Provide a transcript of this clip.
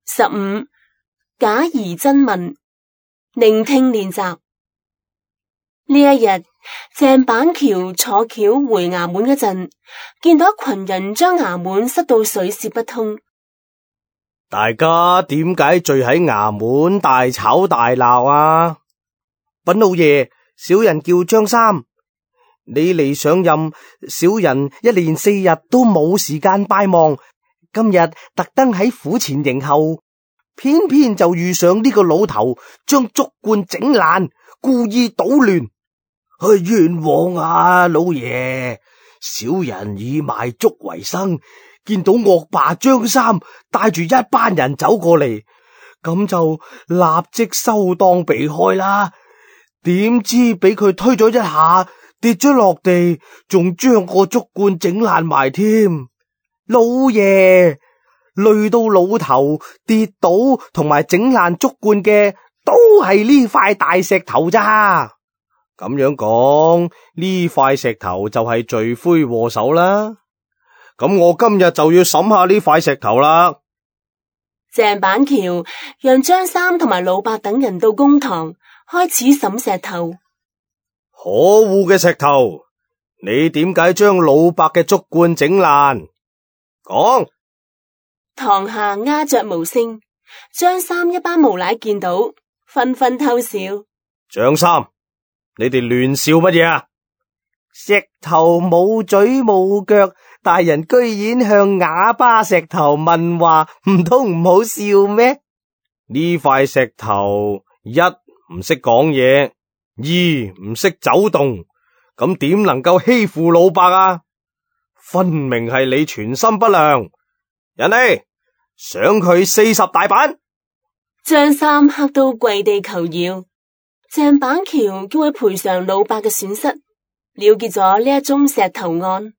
15. 假疑真問，聆聽練習。呢一日，鄭板橋坐轎回衙門嗰陣，見到一群人將衙門塞到水泄不通。大家點解聚喺衙門大吵大鬧啊？稟老爺，小人叫張三，你嚟上任，小人一連4日都冇時間拜望，今日特登喺府前迎候，偏偏就遇上呢個老頭將竹罐整爛，故意搗亂。冤枉啊，老爺！小人以賣竹為生，見到惡霸張三帶住一班人走過嚟，咁就立即收檔避開啦。點知俾佢推咗一下，跌咗落地，仲將個竹罐整爛埋添。老爺，累到老頭跌倒同埋整爛竹罐嘅，都係呢塊大石頭咋。咁樣講，呢塊石頭就係罪魁禍首啦。咁我今日就要審下呢塊石頭啦。鄭板橋讓張三同埋老伯等人到公堂，開始審石頭。可惡嘅石頭，你點解將老伯嘅竹罐整爛？講。堂下鴉雀無聲，張三一班無賴見到，紛紛偷笑。張三，你哋亂笑乜嘢啊？石頭冇嘴冇腳，大人居然向啞巴石頭問話，唔通唔好笑咩？呢塊石頭一唔識講嘢，二唔識走動，咁點能夠欺負老伯啊？分明係你存心不良，人嚟賞佢40大板。張三嚇到跪地求饒，鄭板橋叫佢賠償老伯嘅損失，了結咗呢一宗石頭案。